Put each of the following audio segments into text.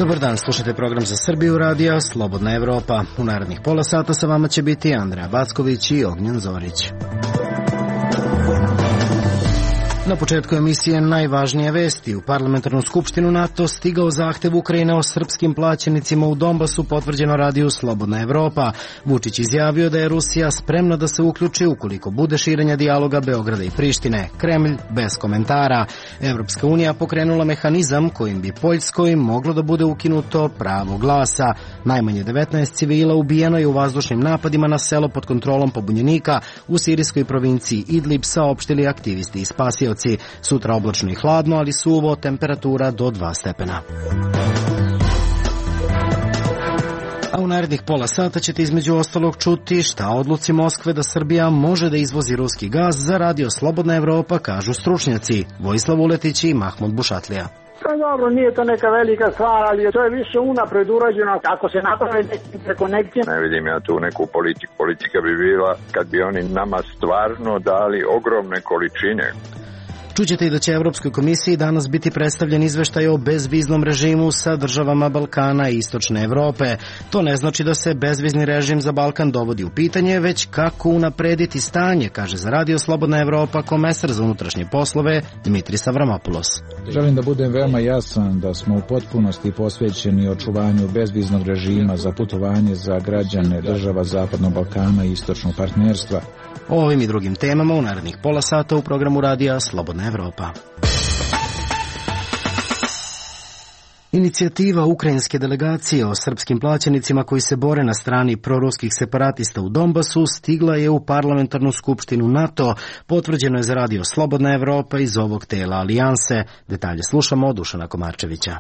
Dobar dan, slušajte program za Srbiju radija Slobodna Evropa. U narednih pola sata sa vama će biti Andreja Backović i Ognjen Zorić. Na početku emisije najvažnije vesti. U parlamentarnu skupštinu NATO stigao zahtev Ukrajine o srpskim plaćenicima u Donbasu, potvrđeno radiju Slobodna Evropa. Vučić izjavio da je Rusija spremna da se uključi ukoliko bude širenja dijaloga Beograda i Prištine. Kremlj bez komentara. Evropska unija pokrenula mehanizam kojim bi Poljskoj moglo da bude ukinuto pravo glasa. Najmanje 19 civila ubijeno je u vazdušnim napadima na selo pod kontrolom pobunjenika u sirijskoj provinciji Idlib, saopštili aktivisti i spasioci. Sutra oblačno i hladno, ali suvo, temperatura do 2 stepena. A u narednih pola sata ćete između ostalog čuti šta o odluci Moskve da Srbija može da izvozi ruski gas za radio Slobodna Evropa, kažu stručnjaci Vojislav Uletić i Mahmud Bušatlija. Pa dobro, nije to neka velika stvar, ali to je više unapred urađeno. Ako se napravi neki prekonekcije... Ne vidim ja tu neku politiku. Politika bi bila kad bi oni nama stvarno dali ogromne količine. Čućete i da će Evropskoj komisiji danas biti predstavljen izveštaj o bezviznom režimu sa državama Balkana i Istočne Evrope. To ne znači da se bezvizni režim za Balkan dovodi u pitanje, već kako unaprediti stanje, kaže za radio Slobodna Evropa komesar za unutrašnje poslove Dimitris Avramopoulos. Želim da budem veoma jasan da smo u potpunosti posvećeni očuvanju bezviznog režima za putovanje za građane država Zapadnog Balkana i Istočnog partnerstva. O ovim i drugim temama u narednih pola sata u programu radija Slobodna Evropa. Inicijativa ukrajinske delegacije o srpskim plaćenicima koji se bore na strani proruskih separatista u Donbasu stigla je u parlamentarnu skupštinu NATO. Potvrđeno je za radio Slobodna Evropa iz ovog tela alijanse. Detalje slušamo od Dušana Komarčevića.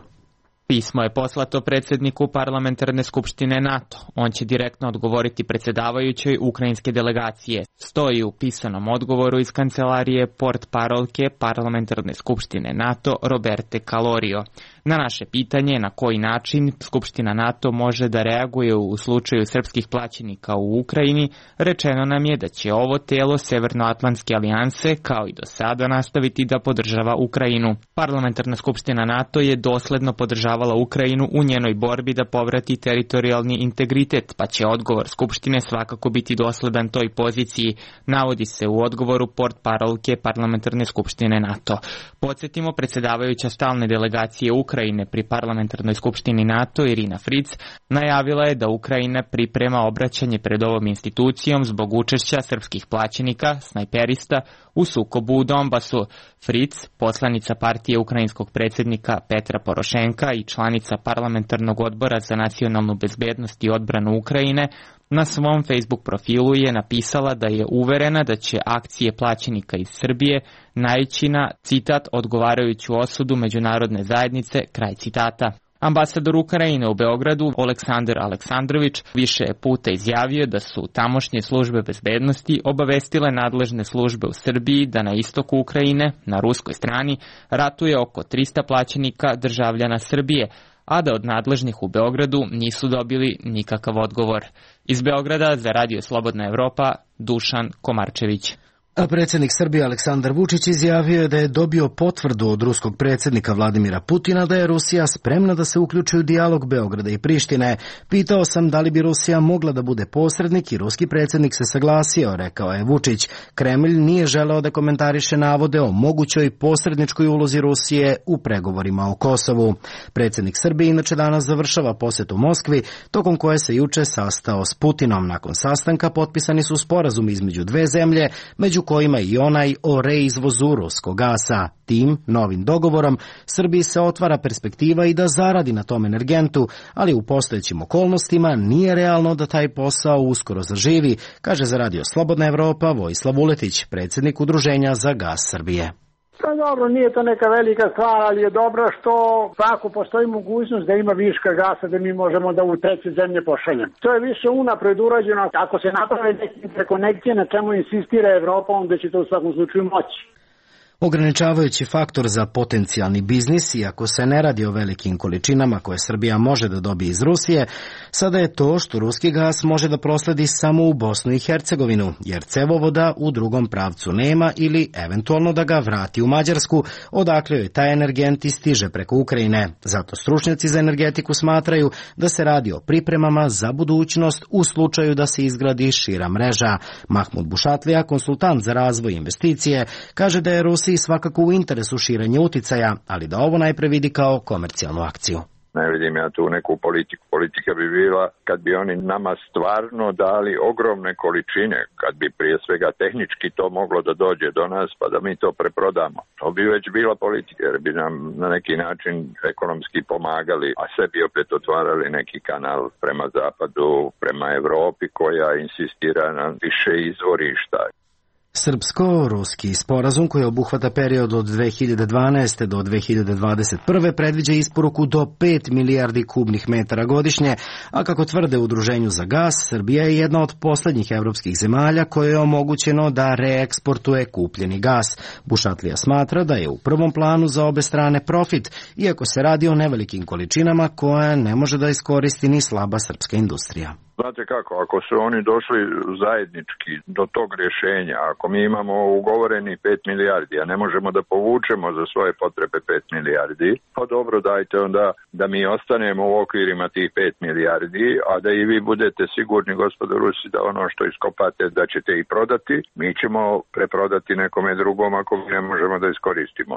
Pismo je poslato predsjedniku parlamentarne skupštine NATO. On će direktno odgovoriti predsjedavajućoj ukrajinske delegacije. Stoji u pisanom odgovoru iz kancelarije portparolke parlamentarne skupštine NATO Roberte Calorio. Na naše pitanje na koji način Skupština NATO može da reaguje u slučaju srpskih plaćenika u Ukrajini, rečeno nam je da će ovo telo Severnoatlantske alijanse kao i do sada nastaviti da podržava Ukrajinu. Parlamentarna skupština NATO je dosledno podržavala Ukrajinu u njenoj borbi da povrati teritorijalni integritet, pa će odgovor Skupštine svakako biti dosledan toj poziciji, navodi se u odgovoru portparolke parlamentarne skupštine NATO. Podsjetimo, predsjedavajuća stalne delegacije Ukrajine pri parlamentarnoj skupštini NATO Irina Fritz najavila je da Ukrajina priprema obraćanje pred ovom institucijom zbog učešća srpskih plaćenika, snajperista, u sukobu u Donbasu. Fritz, poslanica partije ukrajinskog predsjednika Petra Porošenka i članica parlamentarnog odbora za nacionalnu bezbednost i odbranu Ukrajine, na svom Facebook profilu je napisala da je uverena da će akcije plaćenika iz Srbije naići na, citat, odgovarajuću osudu međunarodne zajednice, kraj citata. Ambasador Ukrajine u Beogradu, Oleksandar Aleksandrović, više puta izjavio da su tamošnje službe bezbednosti obavestile nadležne službe u Srbiji da na istoku Ukrajine, na ruskoj strani, ratuje oko 300 plaćenika državljana Srbije, a da od nadležnih u Beogradu nisu dobili nikakav odgovor. Iz Beograda za radio Slobodna Evropa, Dušan Komarčević. A predsjednik Srbije Aleksandar Vučić izjavio je da je dobio potvrdu od ruskog predsjednika Vladimira Putina da je Rusija spremna da se uključi u dijalog Beograda i Prištine. Pitao sam da li bi Rusija mogla da bude posrednik i ruski predsjednik se saglasio, rekao je Vučić. Kremlj nije želeo da komentariše navode o mogućoj posredničkoj ulozi Rusije u pregovorima o Kosovu. Predsjednik Srbije inače danas završava posjetu Moskvi, tokom koje se juče sastao s Putinom. Nakon sastanka potpisani su sporazumi između dve zemlje, među kojima i onaj o reizvozu ruskog gasa. Tim novim dogovorom Srbiji se otvara perspektiva i da zaradi na tom energentu, ali u postojećim okolnostima nije realno da taj posao uskoro zaživi, kaže za radio Slobodna Evropa Vojislav Uletić, predsjednik Udruženja za gas Srbije. Pa dobro, nije to neka velika stvar, ali je dobro što ako postoji mogućnost da ima viška gasa da mi možemo da u treće zemlje pošaljemo. To je više unapred urađeno. Ako se naprave neke prekonekcije na čemu insistira Evropa, onda će to u svakom slučaju moći. Ograničavajući faktor za potencijalni biznis, iako se ne radi o velikim količinama koje Srbija može da dobije iz Rusije, sada je to što ruski gas može da prosledi samo u Bosnu i Hercegovinu, jer cevovoda u drugom pravcu nema ili eventualno da ga vrati u Mađarsku, odakle joj taj energent i stiže preko Ukrajine. Zato stručnjaci za energetiku smatraju da se radi o pripremama za budućnost u slučaju da se izgradi šira mreža. Mahmud Bušatlija, konsultant za razvoj investicije, kaže da je Rusiji svakako u interesu širenje uticaja, ali da ovo najpre vidi kao komercijalnu akciju. Ne vidim ja tu neku politiku. Politika bi bila kad bi oni nama stvarno dali ogromne količine, kad bi prije svega tehnički to moglo da dođe do nas pa da mi to preprodamo. To bi već bila politika jer bi nam na neki način ekonomski pomagali, a sebi opet otvarali neki kanal prema zapadu, prema Evropi koja insistira na više izvorišta. Srpsko-ruski sporazum koji obuhvata period od 2012. do 2021. predviđa isporuku do 5 milijardi kubnih metara godišnje, a kako tvrde u Udruženju za gas, Srbija je jedna od poslednjih evropskih zemalja koje je omogućeno da reeksportuje kupljeni gas. Bušatlija smatra da je u prvom planu za obe strane profit, iako se radi o nevelikim količinama koje ne može da iskoristi ni slaba srpska industrija. Znate kako, ako su oni došli zajednički do tog rješenja, ako mi imamo ugovoreni 5 milijardi, a ne možemo da povučemo za svoje potrebe 5 milijardi, pa dobro, dajte onda da mi ostanemo u okvirima tih 5 milijardi, a da i vi budete sigurni, gospodo Rusi, da ono što iskopate da ćete i prodati, mi ćemo preprodati nekome drugom ako ne možemo da iskoristimo.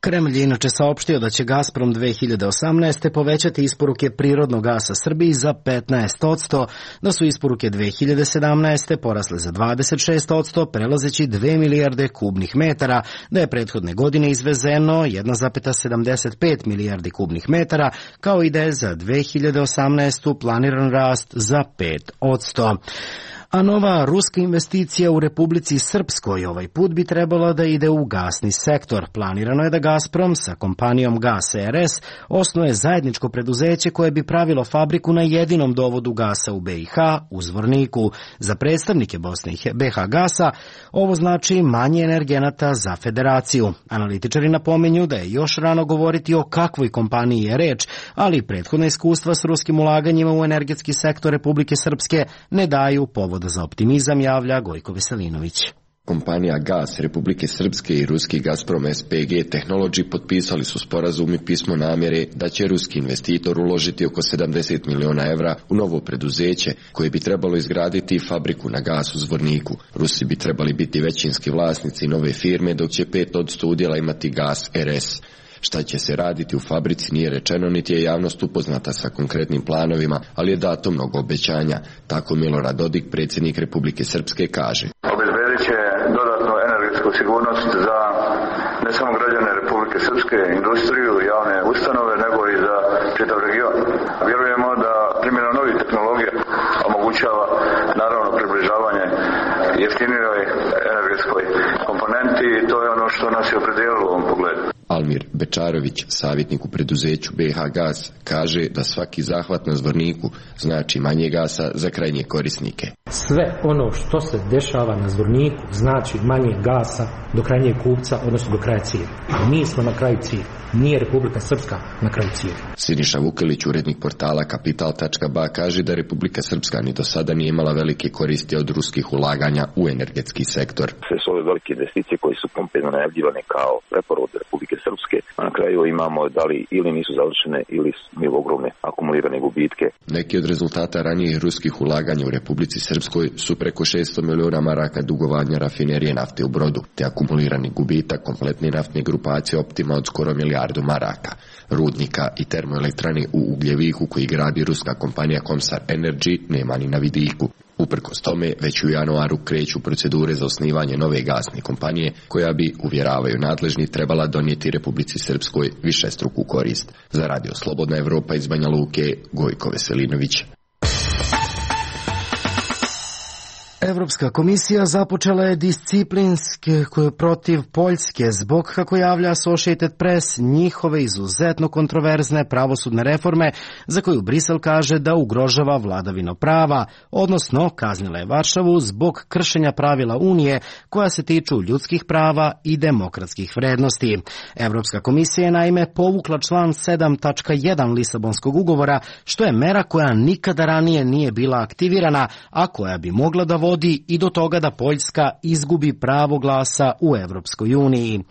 Kremlj je inače saopštio da će Gazprom 2018. povećati isporuke prirodnog gasa Srbiji za 15%, da su isporuke 2017. porasle za 26%, prelazeći 2 milijarde kubnih metara, da je prethodne godine izvezeno 1,75 milijardi kubnih metara, kao i da je za 2018. planiran rast za 5%. A nova ruska investicija u Republici Srpskoj ovaj put bi trebala da ide u gasni sektor. Planirano je da Gazprom sa kompanijom Gas RS osnuje zajedničko preduzeće koje bi pravilo fabriku na jedinom dovodu gasa u BiH, u Zvorniku. Za predstavnike Bosne i BiH gasa ovo znači manje energenata za federaciju. Analitičari napominju da je još rano govoriti o kakvoj kompaniji je reč, ali prethodna iskustva s ruskim ulaganjima u energetski sektor Republike Srpske ne daju povod za optimizam, javlja Gojko Veselinović. Kompanija Gas Republike Srpske i ruski Gazprom SPG Technology potpisali su sporazum i pismo namjere da će ruski investitor uložiti oko 70 miliona evra u novo preduzeće koje bi trebalo izgraditi fabriku na gas u Zvorniku. Rusi bi trebali biti većinski vlasnici nove firme, dok će 5% udjela imati Gas RS. Šta će se raditi u fabrici nije rečeno, niti je javnost upoznata sa konkretnim planovima, ali je dato mnogo obećanja. Tako Milorad Dodik, predsjednik Republike Srpske, kaže. Obezbedit će dodatnu energetsku sigurnost za ne samo građane Republike Srpske, industriju, javne ustanove, nego i za čitav region. Vjerujemo da primjena novih tehnologija omogućava naravno približavanje jeftinijoj energetskoj komponenti i to je ono što nas je opredijelilo u ovom pogledu. Almir Bečarović, savjetnik u preduzeću BiH Gas, kaže da svaki zahvat na Zvorniku znači manje gasa za krajnje korisnike. Sve ono što se dešava na Zvorniku znači manje gasa do krajnjeg kupca, odnosno do kraja cijevi. Mi smo na kraju cijevi, nije Republika Srpska na kraju cijevi. Siniša Vukelić, urednik portala Kapital.ba, kaže da Republika Srpska ni do sada nije imala velike koristi od ruskih ulaganja u energetski sektor. Sve su ove velike investicije koje su pompezno najavljivane kao preporod Republike Srpske, a na kraju imamo da li ili nisu završene ili imaju ogromne akumulirane gubitke. Neki od rezultata ranijih ruskih ulaganja u Republici Srpskoj su preko 600 miliona maraka dugovanja rafinerije nafte u Brodu, te akumulirani gubitak kompletne naftne grupacije Optima od skoro milijardu maraka, rudnika i termoelektrane u Ugljeviku koji gradi ruska kompanija Komsar Energy nema ni na vidiku. Uprkos tome, već u januaru kreću procedure za osnivanje nove gasne kompanije, koja bi, uvjeravaju nadležni, trebala donijeti Republici Srpskoj višestruku korist. Za Radio Slobodna Evropa iz Banja Luke, Gojko Veselinović. Evropska komisija započela je disciplinske protiv Poljske zbog, kako javlja Associated Press, njihove izuzetno kontroverzne pravosudne reforme za koju Brisel kaže da ugrožava vladavinu prava, odnosno kaznila je Varšavu zbog kršenja pravila Unije koja se tiču ljudskih prava i demokratskih vrednosti. Evropska komisija je naime povukla član 7.1 Lisabonskog ugovora, što je mera koja nikada ranije nije bila aktivirana, a koja bi mogla da vodi i do toga da Poljska izgubi pravo glasa u Evropskoj uniji.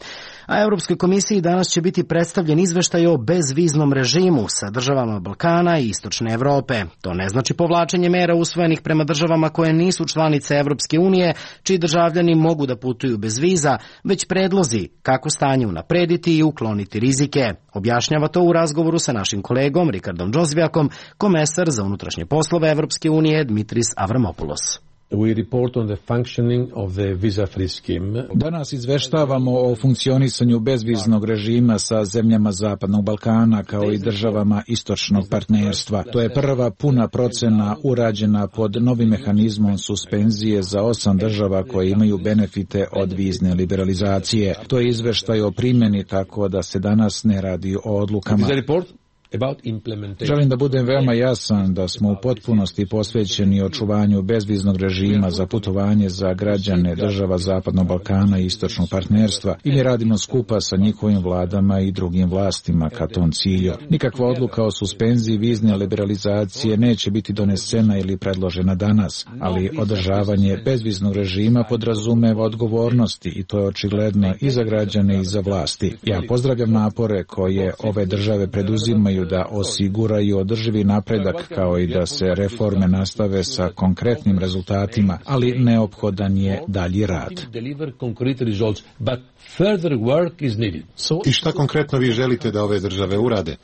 A Evropskoj komisiji danas će biti predstavljen izveštaj o bezviznom režimu sa državama Balkana i Istočne Evrope. To ne znači povlačenje mera usvojenih prema državama koje nisu članice Evropske unije, čiji državljani mogu da putuju bez viza, već predlozi kako stanje unaprediti i ukloniti rizike. Objašnjava to u razgovoru sa našim kolegom Rikardom Džozvijakom, komesar za unutrašnje poslove Evropske unije Dmitris Avramopoulos. Danas izveštavamo o funkcionisanju bezviznog režima sa zemljama Zapadnog Balkana kao i državama istočnog partnerstva. To je prva puna procena urađena pod novim mehanizmom suspenzije za 8 država koje imaju benefite od vizne liberalizacije. To je izveštaj o primjeni, tako da se danas ne radi o odlukama. Želim da budem veoma jasan da smo u potpunosti posvećeni očuvanju bezviznog režima za putovanje za građane država Zapadnog Balkana i istočnog partnerstva i mi radimo skupa sa njihovim vladama i drugim vlastima ka tom cilju. Nikakva odluka o suspenziji vizne liberalizacije neće biti donesena ili predložena danas, ali održavanje bezviznog režima podrazumeva odgovornosti i to je očigledno i za građane i za vlasti. Ja pozdravljam napore koje ove države preduzimaju da osiguraju održivi napredak kao i da se reforme nastave sa konkretnim rezultatima, ali neophodan je dalji rad. I šta konkretno vi želite da ove države urade?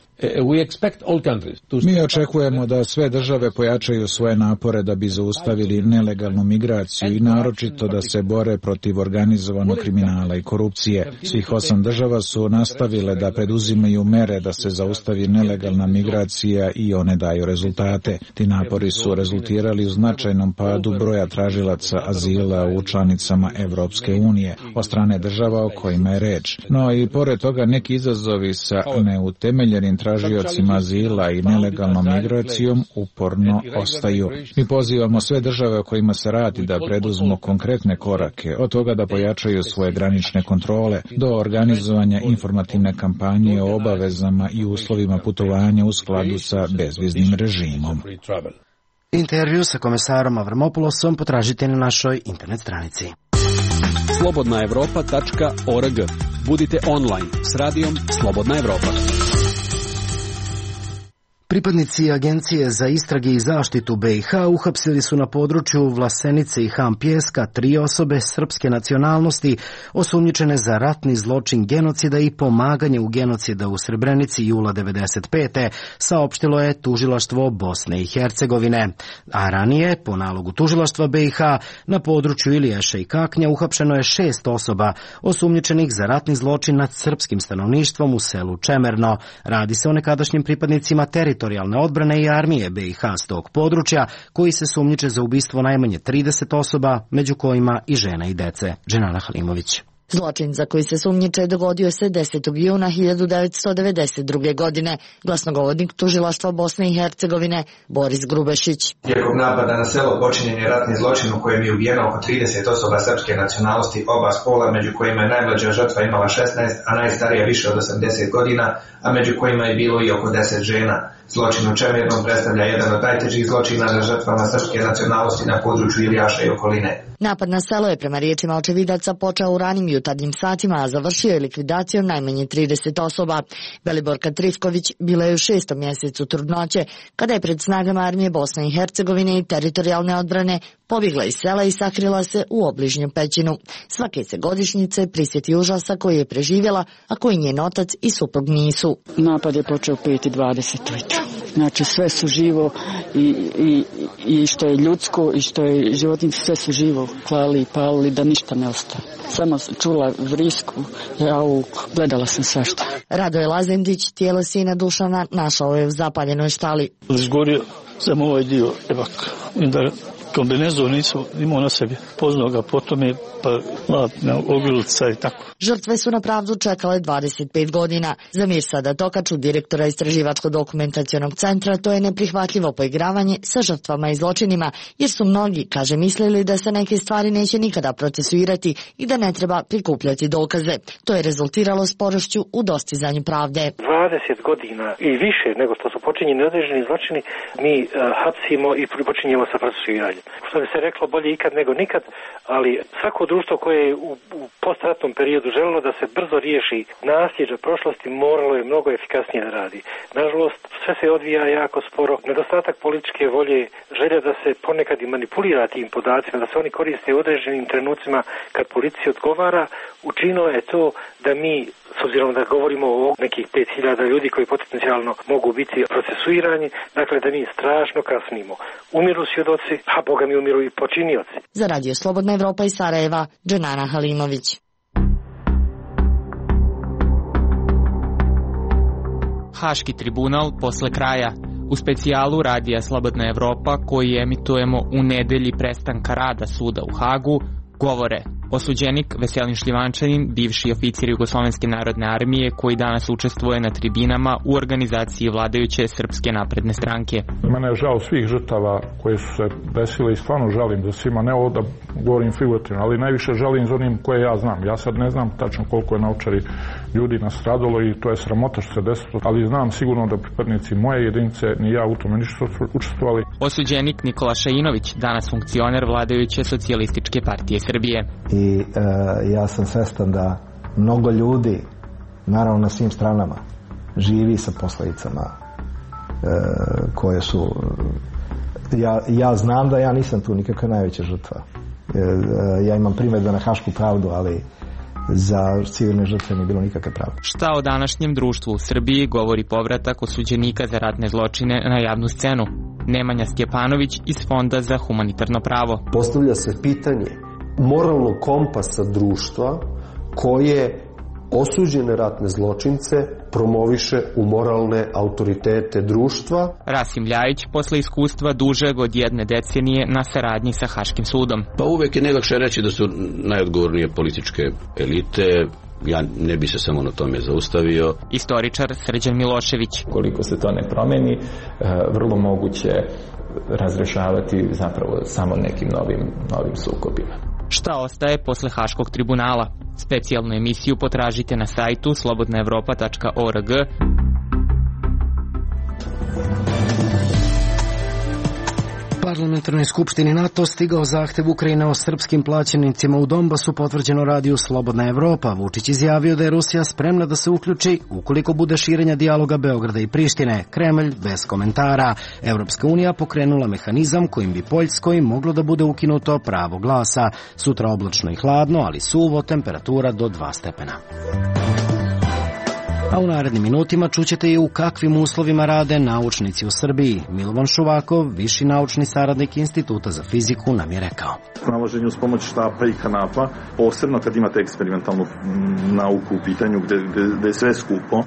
Mi očekujemo da sve države pojačaju svoje napore da bi zaustavili nelegalnu migraciju i naročito da se bore protiv organizovanog kriminala i korupcije. Svih 8 država su nastavile da preduzimaju mere da se zaustavi nelegalna migracija i one daju rezultate. Ti napori su rezultirali u značajnom padu broja tražilaca azila u članicama Evropske unije od strane država o kojima je reč. No i pored toga neki izazovi sa neutemeljenim tražiocima azila i nelegalnom migracijom uporno ostaju. Mi pozivamo sve države o kojima se radi da preduzmu konkretne korake, od toga da pojačaju svoje granične kontrole, do organizovanja informativne kampanje o obavezama i uslovima putovanja u skladu sa bezviznim režimom. Intervju sa komesarom Avramopoulosom potražite na našoj internet stranici. slobodnaevropa.org. Budite online s radijom Slobodna Evropa. Pripadnici Agencije za istrage i zaštitu BiH uhapsili su na području Vlasenice i Han Pjeska 3 osobe srpske nacionalnosti osumnjičene za ratni zločin genocida i pomaganje u genocida u Srebrenici jula 1995. saopštilo je tužilaštvo Bosne i Hercegovine. A ranije, po nalogu tužilaštva BiH, na području Iliješa i Kaknja uhapšeno je 6 osoba osumnjičenih za ratni zločin nad srpskim stanovništvom u selu Čemerno. Radi se o nekadašnjim pripadnicima teritorijalne odbrane i armije BiH s tog područja, koji se sumnjiče za ubistvo najmanje 30 osoba, među kojima i žena i dece. Dženana Halimović. Zločin za koji se sumnjiče dogodio se 10. juna 1992. godine, glasnogovornik tužilaštva Bosne i Hercegovine Boris Grubešić. Tijekom napada na selo počinjen je ratni zločin u kojem je ubijeno oko 30 osoba srpske nacionalnosti oba spola, među kojima je najmlađa žrtva imala 16, a najstarija više od 80 godina, a među kojima je bilo i oko 10 žena. Zločin u Čemernom predstavlja jedan od najtežih zločina na žrtvama srpske nacionalnosti na području Ilijaša i okoline. Napad na selo je prema riječima očevidaca počeo u ranim jutarnjim satima, a završio je likvidacijom najmanje 30 osoba. Beliborka Trifković bila je u 6. mjesecu trudnoće, kada je pred snagama armije Bosne i Hercegovine i teritorijalne odbrane pobjegla iz sela i sakrila se u obližnju pećinu. Svake se godišnjice prisjeti užasa koji je preživjela, a koji njen otac i suprug nisu. Napad je počeo u 5:20 ujutro. Znači sve su živo i što je ljudsko i što je životinjsko, sve su živo klali i palili da ništa ne ostane. Samo čula vrisku, gledala sam svašta. Radoje Lazemdić, tijelo sina Dušana, našao je u zapaljenoj štali. Izgorio sam ovaj dio, Kombinezon nisam imao na sebi. Poznao ga potom je na ogrlica i tako. Žrtve su na pravdu čekale 25 godina. Za Mirsada Tokaču, direktora Istraživačko-dokumentacionog centra, to je neprihvatljivo poigravanje sa žrtvama i zločinima, jer su mnogi, kaže, mislili da se neke stvari neće nikada procesuirati i da ne treba prikupljati dokaze. To je rezultiralo sporošću u dostizanju pravde. 20 godina i više nego što su počinjeni određeni zločini, mi hapsimo i počinjemo sa procesuiranjem. Što bi se reklo, bolje ikad nego nikad, ali svako društvo koje je u postratnom periodu želilo da se brzo riješi nasljeđa prošlosti, moralo je mnogo efikasnije da radi. Nažalost, sve se odvija jako sporo. Nedostatak političke volje, želja da se ponekad i manipulira tim podacima, da se oni koriste u određenim trenucima kad policija odgovara, učinilo je to da mi, s obzirom da govorimo o nekih 5000 ljudi koji potencijalno mogu biti procesuirani, dakle da mi strašno kasnimo. Umiru svjedoci, a boga mi umiru i počinioci. Za Radio Slobodna Evropa iz Sarajeva, Dženana Halimović. Haški tribunal posle kraja. U specijalu Radija Slobodna Evropa, koji emitujemo u nedelji prestanka rada suda u Hagu, govore osuđenik Veselin Šljivančanin, bivši oficir Jugoslovenske narodne armije koji danas učestvuje na tribinama u organizaciji vladajuće Srpske napredne stranke. Mene je žao svih žrtava koje su se desile i stvarno žalim za svima, ne ovo da govorim figurativno, ali najviše žalim za onim koje ja znam. Ja sad ne znam tačno koliko je na Ovčari ljudi nastradalo i to je sramota što se desilo, ali znam sigurno da pripadnici moje jedinice ni ja u tome ništa učestvovali. Osuđenik Nikola Šainović, danas funkcioner vladajuće Socijalističke partije Srbije. I ja sam svestan da mnogo ljudi, naravno na svim stranama, živi sa posledicama koje su... Ja znam da ja nisam tu nikakva najveća žrtva. Ja imam primjedbe na hašku pravdu, ali za civilne žrtve nije bilo nikakve pravde. Šta o današnjem društvu u Srbiji govori povratak osuđenika za ratne zločine na javnu scenu? Nemanja Stjepanović iz Fonda za humanitarno pravo. Postavlja se pitanje moralnog kompasa društva koje osuđene ratne zločince promoviše u moralne autoritete društva. Rasim Ljajić, posle iskustva dužeg od 1 decenije na saradnji sa Haškim sudom. Pa uvek je najlakše reći da su najodgovornije političke elite. Ja ne bi se samo na tome zaustavio. Istoričar Srđan Milošević. Koliko se to ne promeni, vrlo moguće razrešavati zapravo samo nekim novim sukobima. Šta ostaje posle Haškog tribunala? Specijalnu emisiju potražite na sajtu slobodnaevropa.org. Parlamentarnoj skupštini NATO stigao zahtev Ukrajine o srpskim plaćenicima u Donbasu, potvrđeno Radiju Slobodna Evropa. Vučić izjavio da je Rusija spremna da se uključi ukoliko bude širenja dijaloga Beograda i Prištine. Kremlj bez komentara. Evropska unija pokrenula mehanizam kojim bi Poljskoj moglo da bude ukinuto pravo glasa. Sutra oblačno i hladno, ali suvo, temperatura do 2 stepena. A u narednim minutima čućete i u kakvim uslovima rade naučnici u Srbiji. Milovan Šuvakov, viši naučni saradnik Instituta za fiziku, nam je rekao. Nalaženje uz pomoć štapa i kanapa, posebno kad imate eksperimentalnu nauku u pitanju gde je sve skupo.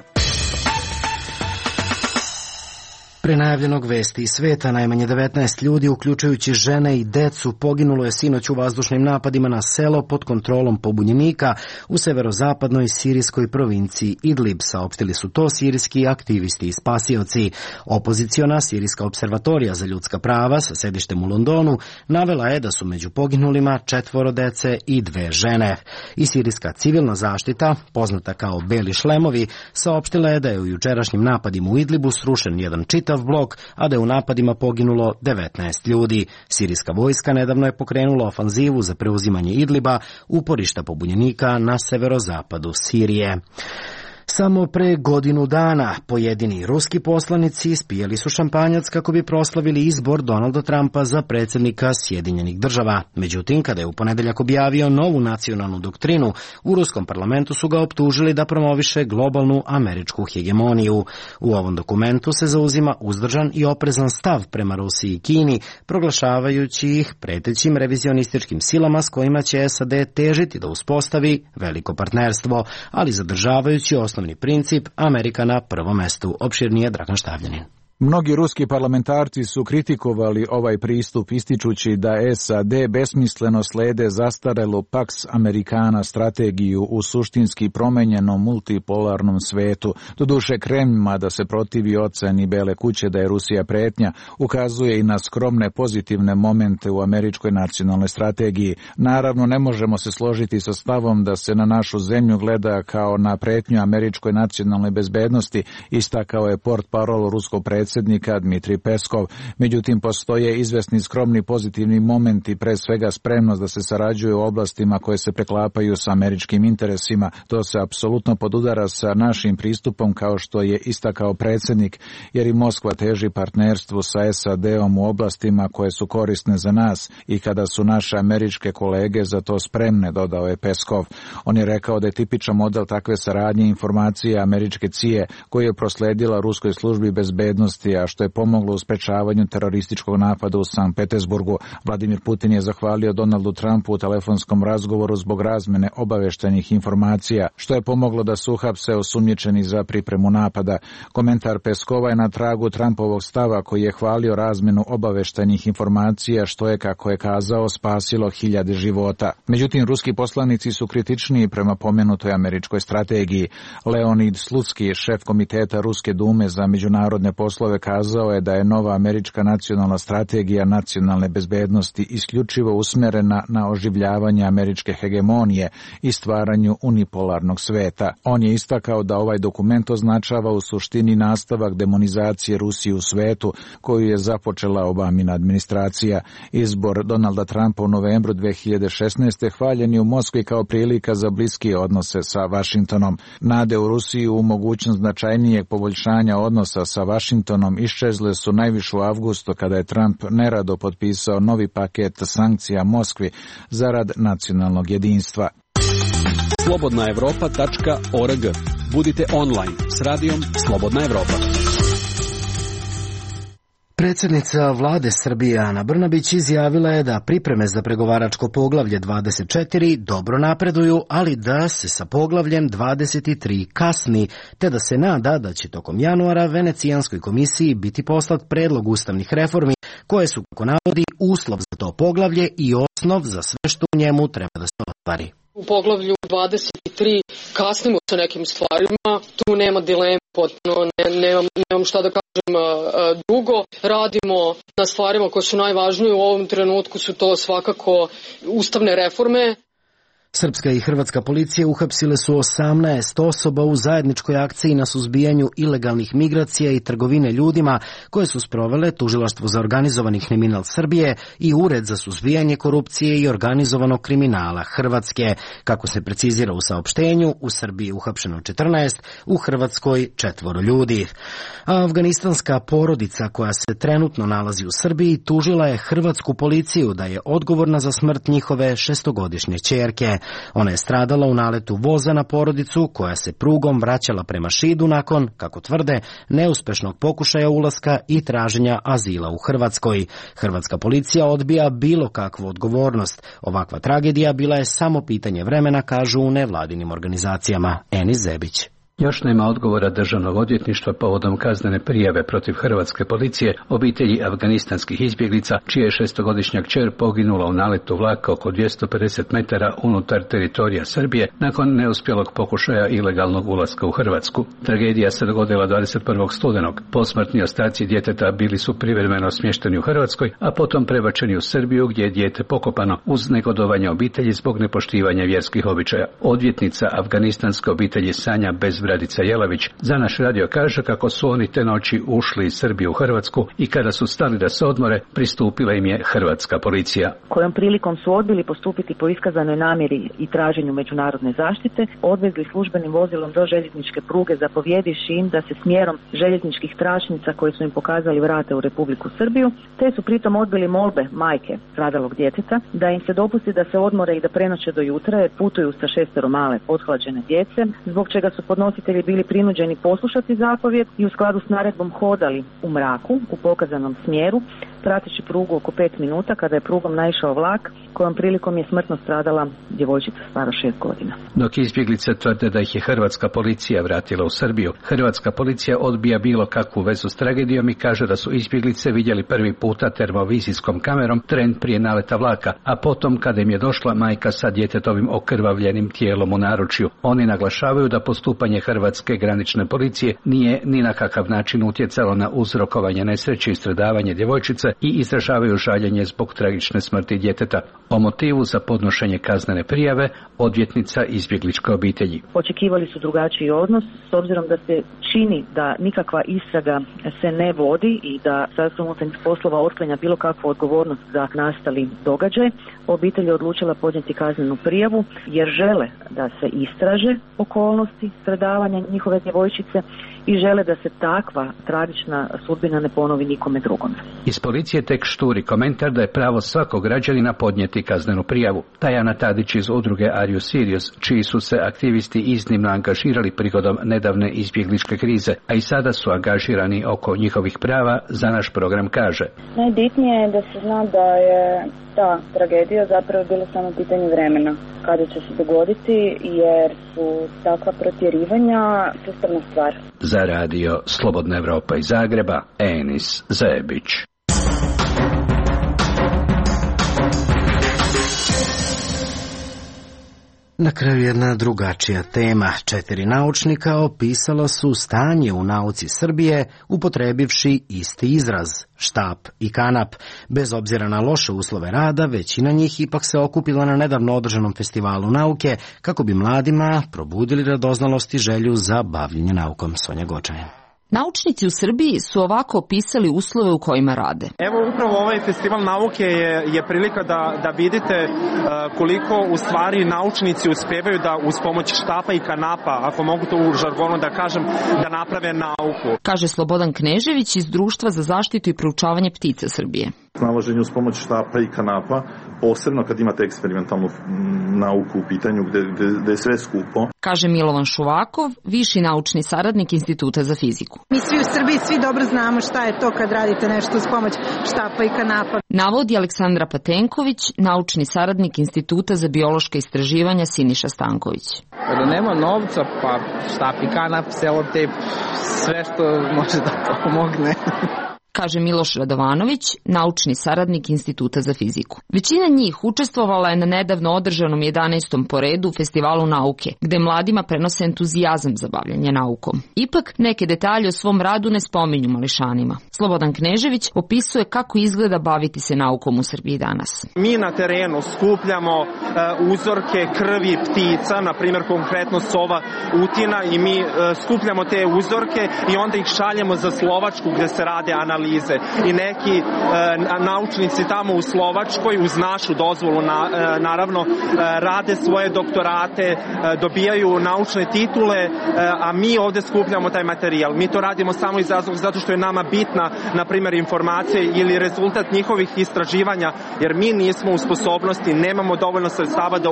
Pre najavljenog vesti iz sveta, najmanje 19 ljudi, uključujući žene i decu, poginulo je sinoć u vazdušnim napadima na selo pod kontrolom pobunjenika u severozapadnoj sirijskoj provinciji Idlib, saopštili su to sirijski aktivisti i spasioci. Opoziciona sirijska observatorija za ljudska prava sa sedištem u Londonu navela je da su među poginulima 4 dece i 2 žene. I sirijska civilna zaštita, poznata kao Beli šlemovi, saopštila je da je u jučerašnjim napadima u Idlibu srušen jedan čitav blok, a da je u napadima poginulo 19 ljudi. Sirijska vojska nedavno je pokrenula ofanzivu za preuzimanje Idliba, uporišta pobunjenika na severozapadu Sirije. Samo pre godinu dana pojedini ruski poslanici ispijali su šampanjac kako bi proslavili izbor Donalda Trumpa za predsjednika Sjedinjenih država. Međutim, kada je u ponedeljak objavio novu nacionalnu doktrinu, u ruskom parlamentu su ga optužili da promoviše globalnu američku hegemoniju. U ovom dokumentu se zauzima uzdržan i oprezan stav prema Rusiji i Kini, proglašavajući ih pretećim revizionističkim silama s kojima će SAD težiti da uspostavi veliko partnerstvo, ali zadržavajući osnovni princip Amerika na prvom mestu. Opširnije Dragan Štavljanin. Mnogi ruski parlamentarci su kritikovali ovaj pristup ističući da SAD besmisleno slede zastarelu Pax Americana strategiju u suštinski promenjenom multipolarnom svetu. Doduše Kreml, da se protivi oceni Bele kuće da je Rusija pretnja, ukazuje i na skromne pozitivne momente u američkoj nacionalnoj strategiji. Naravno, ne možemo se složiti sa stavom da se na našu zemlju gleda kao na pretnju američkoj nacionalnoj bezbednosti, istakao je portparol ruskog predsjednika Dmitrij Peskov. Međutim, postoje izvesni skromni pozitivni momenti, pre svega spremnost da se sarađuje u oblastima koje se preklapaju sa američkim interesima. To se apsolutno podudara sa našim pristupom, kao što je istakao predsjednik, jer i Moskva teži partnerstvu sa SAD-om u oblastima koje su korisne za nas i kada su naše američke kolege za to spremne, dodao je Peskov. On je rekao da je tipičan model takve saradnje informacije američke CIA koju je prosledila ruskoj službi bezbednosti, a što je pomoglo u sprečavanju terorističkog napada u Sankt Petersburgu. Vladimir Putin je zahvalio Donaldu Trumpu u telefonskom razgovoru zbog razmene obaveštenih informacija, što je pomoglo da su uhapse osumnjičeni za pripremu napada. Komentar Peskova je na tragu Trumpovog stava koji je hvalio razmenu obaveštenih informacija, što je, kako je kazao, spasilo hiljade života. Međutim, ruski poslanici su kritičniji prema pomenutoj američkoj strategiji. Leonid Slutsky, šef komiteta Ruske dume za međunarodne poslove, kazao je da je nova američka nacionalna strategija nacionalne bezbednosti isključivo usmerena na oživljavanje američke hegemonije i stvaranju unipolarnog sveta. On je istakao da ovaj dokument označava u suštini nastavak demonizacije Rusije u svetu koju je započela Obamina administracija. Izbor Donalda Trumpa u novembru 2016. hvaljen je u Moskvi kao prilika za bliske odnose sa Vašingtonom. Nade u Rusiju u mogućnost značajnijeg poboljšanja odnosa sa Vašingtonom iščezle su najviše u avgustu kada je Trump nerado potpisao novi paket sankcija Moskvi zarad nacionalnog jedinstva. slobodnaevropa.org. Budite online s radijom Slobodna Evropa. Predsjednica vlade Srbije Ana Brnabić izjavila je da pripreme za pregovaračko poglavlje 24 dobro napreduju, ali da se sa poglavljem 23 kasni, te da se nada da će tokom januara Venecijanskoj komisiji biti poslat predlog ustavnih reformi koje su, kako navodi, uslov za to poglavlje i osnov za sve što u njemu treba da se ostvari. U poglavlju 23 kasnimo sa nekim stvarima, tu nema dilema, potpuno nemam šta da kažem drugo. Radimo na stvarima koje su najvažnije u ovom trenutku, su to svakako ustavne reforme. Srpska i hrvatska policija uhapsile su 18 osoba u zajedničkoj akciji na suzbijanju ilegalnih migracija i trgovine ljudima koje su sprovele Tužilaštvo za organizovani kriminal Srbije i Ured za suzbijanje korupcije i organizovanog kriminala Hrvatske. Kako se precizira u saopštenju, u Srbiji je uhapšeno 14, u Hrvatskoj 4 ljudi. A afganistanska porodica koja se trenutno nalazi u Srbiji tužila je hrvatsku policiju da je odgovorna za smrt njihove 6-godišnje ćerke. Ona je stradala u naletu voza na porodicu koja se prugom vraćala prema Šidu nakon, kako tvrde, neuspešnog pokušaja ulaska i traženja azila u Hrvatskoj. Hrvatska policija odbija bilo kakvu odgovornost. Ovakva tragedija bila je samo pitanje vremena, kažu u nevladinim organizacijama. Enis Zebić. Još nema odgovora državnog odvjetništva povodom kaznene prijave protiv hrvatske policije obitelji afganistanskih izbjeglica, čija je 6-godišnja kćer poginula u naletu vlaka oko 250 metara unutar teritorija Srbije nakon neuspjelog pokušaja ilegalnog ulaska u Hrvatsku. Tragedija se dogodila 21. studenog. Posmrtni ostaci djeteta bili su privremeno smješteni u Hrvatskoj, a potom prebačeni u Srbiju gdje je dijete pokopano uz negodovanje obitelji zbog nepoštivanja vjerskih običaja. Odvjetnica afganistanske obitelji Sanja Radica Jelavić za naš radio kaže kako su oni te noći ušli iz Srbije u Hrvatsku i kada su stali da se odmore, pristupila im je hrvatska policija. Kojom prilikom su odbili postupiti po iskazanoj namjeri i traženju međunarodne zaštite, odvezli službenim vozilom do željezničke pruge zapovjedivši im da se smjerom željezničkih tračnica koje su im pokazali vrate u Republiku Srbiju, te su pritom odbili molbe majke stradalog djeteta da im se dopusti da se odmore i da prenoće do jutra jer putuju sa 6 male pothlađene djece, zbog čega su podnositelji bili prinuđeni poslušati zapovjed i u skladu s naredbom hodali u mraku u pokazanom smjeru prateći prugu oko 5 minuta kada je prugom naišao vlak kojom prilikom je smrtno stradala djevojčica stara 6 godina. Dok izbjeglice tvrde da ih je hrvatska policija vratila u Srbiju, hrvatska policija odbija bilo kakvu vezu s tragedijom i kaže da su izbjeglice vidjeli prvi puta termovizijskom kamerom tren prije naleta vlaka, a potom kada im je došla majka sa djetetovim okrvavljenim tijelom u naručju. Oni naglašavaju da postupanje hrvatske granične policije nije ni na kakav način utjecalo na uzrokovanje nesreće i stradavanje djevojčice i izražavaju žaljenje zbog tragične smrti djeteta. O motivu za podnošenje kaznene prijave odvjetnica izbjegličke obitelji. Očekivali su drugačiji odnos s obzirom da se čini da nikakva istraga se ne vodi i da Ministarstvo unutarnjih poslova otklanja bilo kakvu odgovornost za nastali događaj. Obitelj je odlučila podnijeti kaznenu prijavu jer žele da se istraže okolnosti stradavanja njihove djevojčice i žele da se takva tragična sudbina ne ponovi nikome drugom. Iz policije tek šturi komentar da je pravo svakog građanina podnijeti kaznenu prijavu. Tajana Tadić iz udruge Are You Serious, čiji su se aktivisti iznimno angažirali prigodom nedavne izbjegličke krize, a i sada su angažirani oko njihovih prava, za naš program kaže. Najbitnije je da se zna da je ta tragedija zapravo bila samo pitanje vremena kada će se dogoditi, jer su takva protjerivanja sustavna stvar. Za radio Slobodna Evropa iz Zagreba, Enis Zebić. Na kraju jedna drugačija tema. 4 naučnika opisala su stanje u nauci Srbije upotrebivši isti izraz, štap i kanap. Bez obzira na loše uslove rada, većina njih ipak se okupila na nedavno održanom festivalu nauke kako bi mladima probudili radoznalost i želju za bavljenje naukom. Sonja Gočanin. Naučnici u Srbiji su ovako opisali uslove u kojima rade. Evo upravo ovaj festival nauke je prilika da vidite koliko u stvari naučnici uspevaju da uz pomoć štapa i kanapa, ako mogu to u žargonu da kažem, da naprave nauku. Kaže Slobodan Knežević iz Društva za zaštitu i proučavanje ptica Srbije. Snalaženje uz pomoć štapa i kanapa, posebno kad imate eksperimentalnu nauku u pitanju gde je sve skupo. Kaže Milovan Šuvakov, viši naučni saradnik Instituta za fiziku. Mi svi u Srbiji svi dobro znamo šta je to kad radite nešto uz pomoć štapa i kanapa. Navodi Aleksandra Patenković, naučni saradnik Instituta za biološka istraživanja Siniša Stanković. Kada nema novca, pa štap i kanap, selotejp, sve što može da pomogne. Kaže Miloš Radovanović, naučni saradnik Instituta za fiziku. Većina njih učestvovala je na nedavno održanom 11. po redu festivalu nauke, gde mladima prenose entuzijazam za bavljanje naukom. Ipak, neke detalje o svom radu ne spominju mališanima. Slobodan Knežević opisuje kako izgleda baviti se naukom u Srbiji danas. Mi na terenu skupljamo uzorke krvi ptica, na primjer konkretno sova utina, i mi skupljamo te uzorke i onda ih šaljemo za Slovačku gde se rade analize. I neki naučnici tamo u Slovačkoj uz našu dozvolu naravno rade svoje doktorate, dobijaju naučne titule, a mi ovde skupljamo taj materijal. Mi to radimo samo iz razloga zato što je nama bitna, na primjer, informacija ili rezultat njihovih istraživanja, jer mi nismo u sposobnosti, nemamo dovoljno sredstava da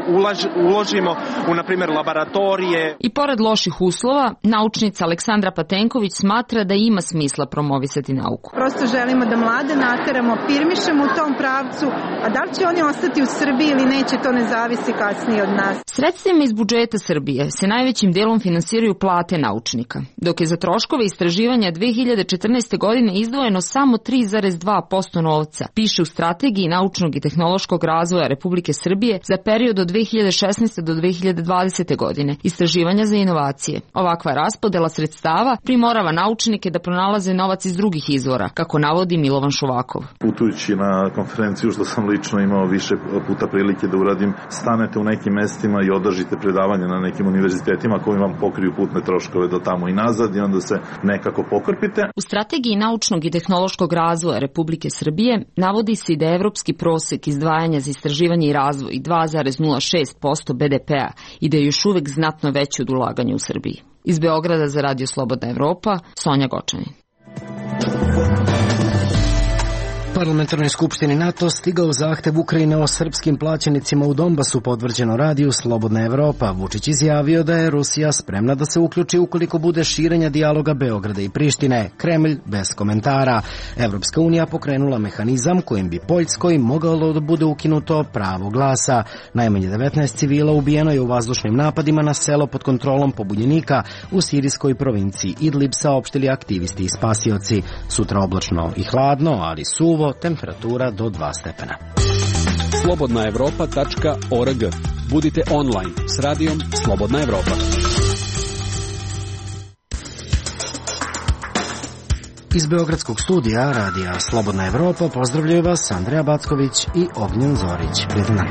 uložimo u, na primjer, laboratorije. I pored loših uslova, naučnica Aleksandra Patenković smatra da ima smisla promovisati nauku. Prosto želimo da mlade nateramo, firmišemo u tom pravcu, a da li će oni ostati u Srbiji ili neće, to ne zavisi kasnije od nas. Sredstvima iz budžeta Srbije se najvećim delom finansiraju plate naučnika, dok je za troškove istraživanja 2014. godine izdvojeno samo 3,2% novca, piše u Strategiji naučnog i tehnološkog razvoja Republike Srbije za period od 2016. do 2020. godine, istraživanja za inovacije. Ovakva raspodela sredstava primorava naučnike da pronalaze novac iz drugih izvora, kako navodi Milovan Šuvakov. Putujući na konferenciju, što sam lično imao više puta prilike da uradim, stanete u nekim mestima i održite predavanje na nekim univerzitetima koji vam pokriju putne troškove do tamo i nazad i onda se nekako pokrpite. U Strategiji naučnog i tehnološkog razvoja Republike Srbije navodi se da je evropski prosek izdvajanja za istraživanje i razvoj 2,06% BDP-a i da je još uvek znatno veći od ulaganja u Srbiji. Iz Beograda za Radio Slobodna Evropa, Sonja Gočanin. Parlamentarnoj skupštini NATO stigao zahtev Ukrajine o srpskim plaćenicima u Donbasu, potvrđeno radiju Slobodna Evropa. Vučić izjavio da je Rusija spremna da se uključi ukoliko bude širenja dijaloga Beograda i Prištine. Kremlj bez komentara. Evropska unija pokrenula mehanizam kojim bi Poljskoj mogalo da bude ukinuto pravo glasa. Najmanje 19 civila ubijeno je u vazdušnim napadima na selo pod kontrolom pobunjenika u sirijskoj provinciji Idlib, saopštili aktivisti i spasioci. Sutra oblačno i hladno, ali suvo, temperatura do 2 stepena. slobodnaevropa.org. Budite online s radijom Slobodna Evropa. Iz beogradskog studija radija Slobodna Evropa pozdravljaju vas Andreja Backović i Ognjen Zorić. Prijatno.